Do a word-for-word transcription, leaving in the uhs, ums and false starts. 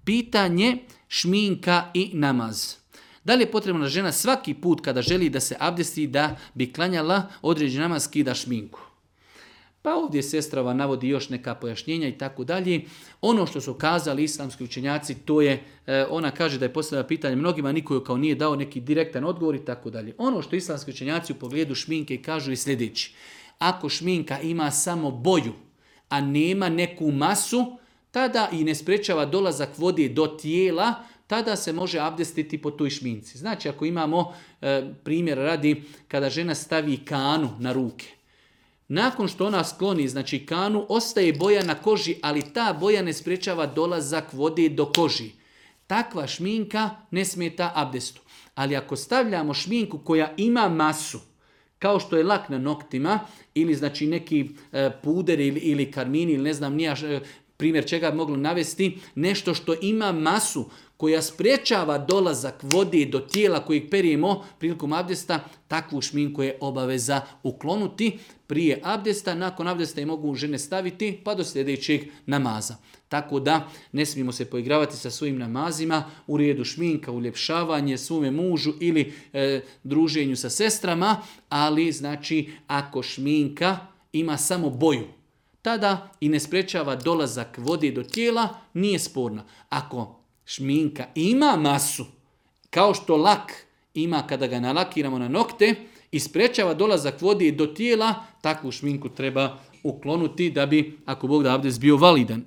Pitanje šminka i namaz. Da li je potrebna žena svaki put kada želi da se abdesti da bi klanjala određeni namaz skida šminku? Pa ovdje sestrava navodi još neka pojašnjenja i tako dalje. Ono što su kazali islamski učenjaci, to je, ona kaže da je postavila pitanje mnogima, niko joj kao nije dao neki direktan odgovor i tako dalje. Ono što islamski učenjaci u pogledu šminke kažu je sljedeći. Ako šminka ima samo boju, a nema neku masu, tada i ne sprečava dolazak vode do tijela, tada se može abdestiti po toj šminci. Znači ako imamo e, primjer radi kada žena stavi kanu na ruke. Nakon što ona skloni znači kanu, ostaje boja na koži, ali ta boja ne sprečava dolazak vode do koži. Takva šminka ne smeta abdestu. Ali ako stavljamo šminku koja ima masu, kao što je lak na noktima, ili znači neki e, puder ili, ili karmini, ili ne znam nija e, primjer čega bi moglo navesti, nešto što ima masu, koja sprečava dolazak vode do tijela kojeg perijemo prilikom abdesta, takvu šminku je obaveza uklonuti prije abdesta. Nakon abdesta je mogu žene staviti pa do sljedećeg namaza. Tako da ne smijemo se poigravati sa svojim namazima u redu šminka, uljepšavanje svome mužu ili e, druženju sa sestrama, ali znači ako šminka ima samo boju, tada i ne sprečava dolazak vode do tijela, nije sporna. Ako šminka ima masu, kao što lak ima kada ga nalakiramo na nokte i sprečava dolazak vode do tijela, takvu šminku treba uklonuti da bi, ako Bog da, abdest bio validan.